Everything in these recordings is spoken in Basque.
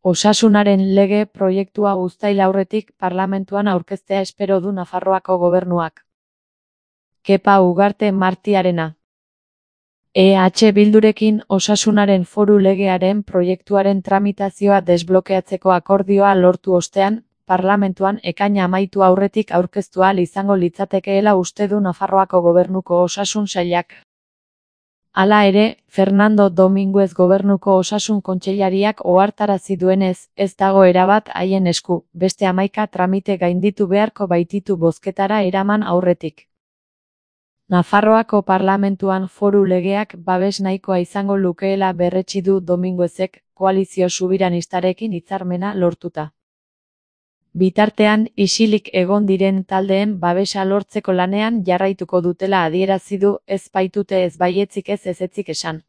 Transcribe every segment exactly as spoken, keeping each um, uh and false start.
Osasunaren lege proiektua uztail aurretik parlamentuan aurkeztea espero du Nafarroako gobernuak. Kepa Ugarte Martiarena. E H Bildurekin osasunaren foru legearen proiektuaren tramitazioa desblokeatzeko akordioa lortu ostean, parlamentuan ekaina amaitu aurretik aurkeztu ahal izango litzatekeela uste du Nafarroako gobernuko osasun sailak. Hala ere, Fernando Dominguez gobernuko osasun kontseilariak ohartarazi duenez, ez dago erabat haien esku, beste hamaika tramite gainditu beharko baititu bozketara eraman aurretik. Nafarroako parlamentuan foru legeak babes nahikoa izango lukeela berretsi du Dominguezek, koalizio subiranistarekin hitzarmena lortuta. Bitartean, isilik egon diren taldeen babesa lortzeko lanean jarraituko dutela adierazi du, ez baitute ez baietzik ez ezetzik esan.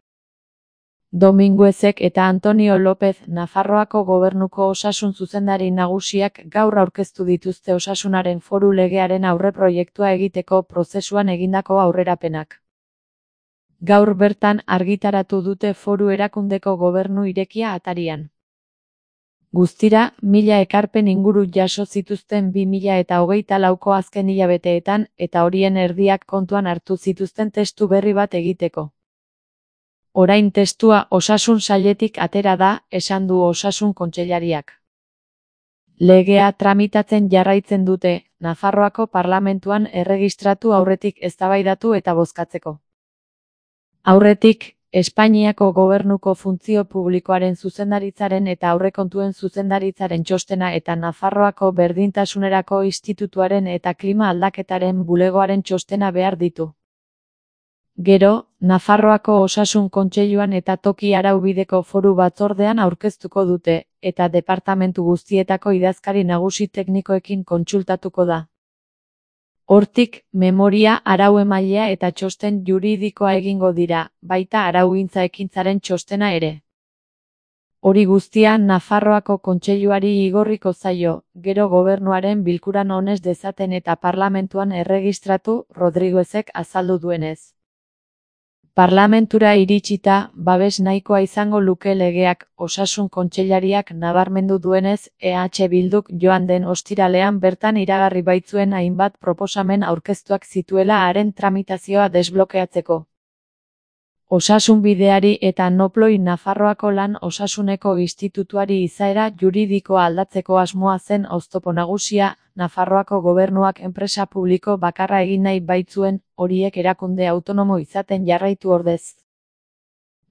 Dominguezek eta Antonio López Nafarroako gobernuko osasun zuzendari nagusiak gaur aurkeztu dituzte osasunaren foru legearen aurreproiektua egiteko prozesuan egindako aurrerapenak. Gaur bertan argitaratu dute foru erakundeko gobernu irekia atarian. Guztira, mila ekarpen inguru jaso zituzten bi mila eta hogeita lauko azken hilabeteetan eta horien erdiak kontuan hartu zituzten testu berri bat egiteko. Orain testua osasun sailetik atera da, esan du osasun kontseilariak. Legea tramitatzen jarraitzen dute, Nafarroako parlamentuan erregistratu aurretik eztabaidatu eta bozkatzeko. Aurretik, Espainiako gobernuko funtzio publikoaren zuzendaritzaren eta aurrekontuen zuzendaritzaren txostena eta Nafarroako berdintasunerako institutuaren eta klima aldaketaren bulegoaren txostena behar ditu. Gero, Nafarroako osasun kontseiluan eta toki araubideko foru batzordean aurkeztuko dute, eta departamentu guztietako idazkari nagusi teknikoekin kontsultatuko da. Hortik, memoria arau-emailea eta txosten juridikoa egingo dira, baita araugintza ekintzaren txostena ere. Hori guztia Nafarroako kontseiluari igorriko zaio, gero gobernuaren bilkuran onez dezaten eta parlamentuan erregistratu, Rodriguezek azaldu duenez. Parlamentura iritsita, babes nahikoa izango luke legeak, osasun kontseilariak nabarmendu duenez, E H Bilduk joan den ostiralean bertan iragarri baitzuen hainbat proposamen aurkeztuak zituela haren tramitazioa desblokeatzeko. Osasunbideari eta Noploi Nafarroako lan osasuneko institutuari izaera juridikoa aldatzeko asmoa zen oztopo nagusia, Nafarroako gobernuak enpresa publiko bakarra egin nahi baitzuen, horiek erakunde autonomo izaten jarraitu ordez.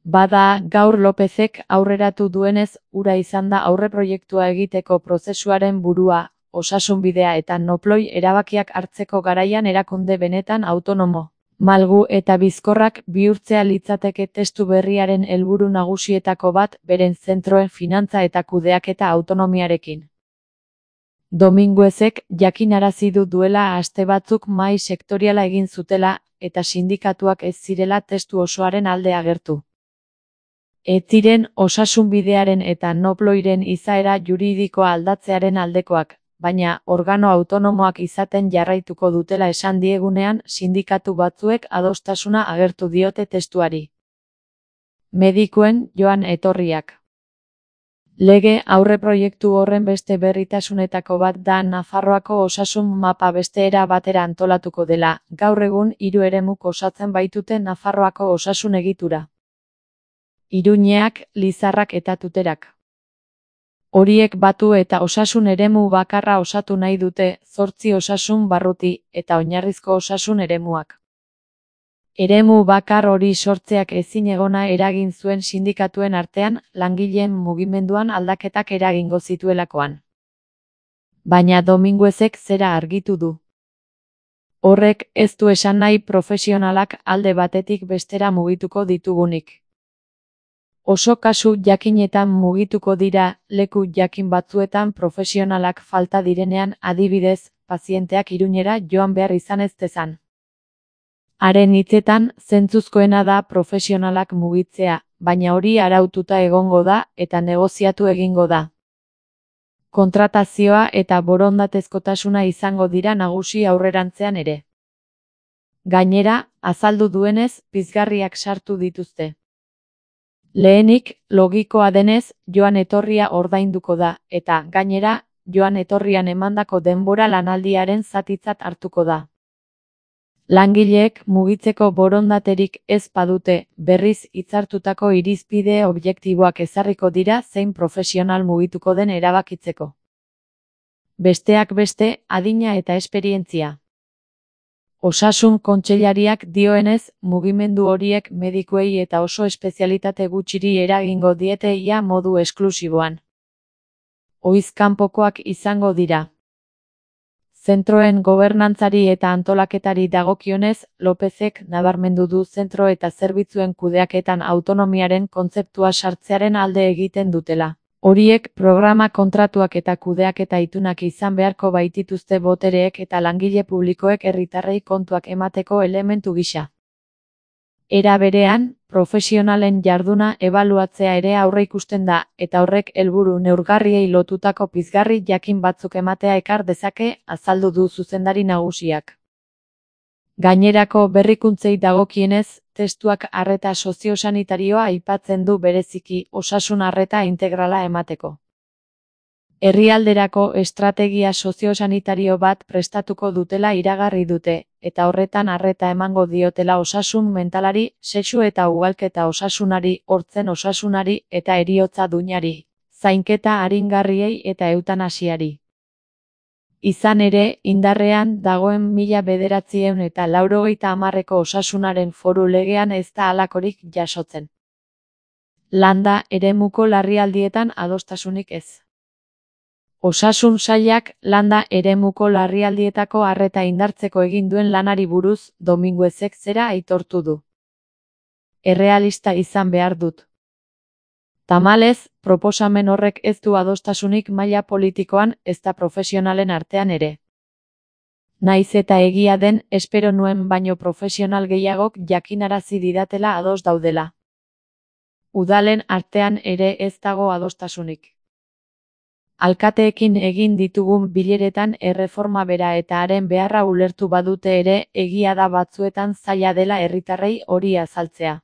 Bada, gaur Lopezek aurreratu duenez, hura izan da aurreproiektua egiteko prozesuaren burua, osasunbidea eta Noploi erabakiak hartzeko garaian erakunde benetan autonomo, malgu eta bizkorrak bihurtzea litzateke testu berriaren helburu nagusietako bat, beren zentroen finantza eta kudeaketa autonomiarekin. Dominguezek jakinarazi du duela aste batzuk mahai sektoriala egin zutela, eta sindikatuak ez zirela testu osoaren alde agertu. Ez ziren osasunbidearen eta Noploiren izaera juridikoa aldatzearen aldekoak, baina organo autonomoak izaten jarraituko dutela esan diegunean sindikatu batzuek adostasuna agertu diote testuari. Medikuen joan etorriak. Lege aurreproiektu horren beste berritasunetako bat da Nafarroako osasun mapa beste era batera antolatuko dela, gaur egun hiru eremuk osatzen baitute Nafarroako osasun egitura. Iruñeak, Lizarrak eta Tuterak. Horiek batu eta osasun eremu bakarra osatu nahi dute, zortzi osasun barruti eta oinarrizko osasun eremuak. Eremu bakar hori sortzeak ezinegona eragin zuen sindikatuen artean, langileen mugimenduan aldaketak eragingo zituelakoan. Baina Dominguezek zera argitu du. Horrek ez du esan nahi profesionalak alde batetik bestera mugituko ditugunik. Oso kasu jakinetan mugituko dira, leku jakin batzuetan profesionalak falta direnean, adibidez, pazienteak Iruñera joan behar izan ez dezan. Haren hitzetan, zentzuzkoena da profesionalak mugitzea, baina hori araututa egongo da eta negoziatu egingo da. Kontratazioa eta borondatezkotasuna izango dira nagusi aurrerantzean ere. Gainera, azaldu duenez, pizgarriak sartu dituzte. Lehenik, logikoa denez, joan etorria ordainduko da, eta, gainera, joan etorrian emandako denbora lanaldiaren zatitzat hartuko da. Langileek mugitzeko borondaterik ez badute, berriz hitzartutako irizpide objektiboak ezarriko dira zein profesional mugituko den erabakitzeko. Besteak beste, adina eta esperientzia. Osasun kontseilariak dioenez, mugimendu horiek medikuei eta oso espezialitate gutxiri eragingo diete ia modu esklusiboan. Ohiz kanpokoak izango dira. Zentroen gobernantzari eta antolaketari dagokionez, Lopezek nabarmendu du zentro eta zerbitzuen kudeaketan autonomiaren kontzeptua sartzearen alde egiten dutela. Horiek programa kontratuak eta kudeaketa itunak izan beharko baitituzte botereek eta langile publikoek herritarrei kontuak emateko elementu gisa. Era berean, profesionalen jarduna ebaluatzea ere aurreikusten da, eta horrek helburu neurgarriei lotutako pizgarri jakin batzuk ematea ekar dezake, azaldu du zuzendari nagusiak. Gainerako berrikuntzei dagokienez, testuak arreta soziosanitarioa aipatzen du bereziki osasun arreta integrala emateko. Herrialderako estrategia soziosanitario bat prestatuko dutela iragarri dute, eta horretan arreta emango diotela osasun mentalari, sexu eta ugalketa osasunari, hortzen osasunari eta heriotza duinari, zainketa aringarriei eta eutanasiari. Izan ere, indarrean dagoen mila bederatziehun eta laurogeita hamarreko osasunaren foru legean ez da halakorik jasotzen. Landa eremuko larrialdietan adostasunik ez. Osasun sailak landa eremuko larrialdietako arreta indartzeko egin duen lanari buruz Dominguezek zera aitortu du. Errealista izan behar dut. Tamalez, proposamen horrek ez du adostasunik maila politikoan ezta profesionalen artean ere. Naiz eta egia den, espero nuen baino profesional gehiagok jakinarazi didatela ados daudela. Udalen artean ere ez dago adostasunik. Alkateekin egin ditugun bileretan erreforma bera eta haren beharra ulertu badute ere, egia da batzuetan zaila dela herritarrei hori azaltzea.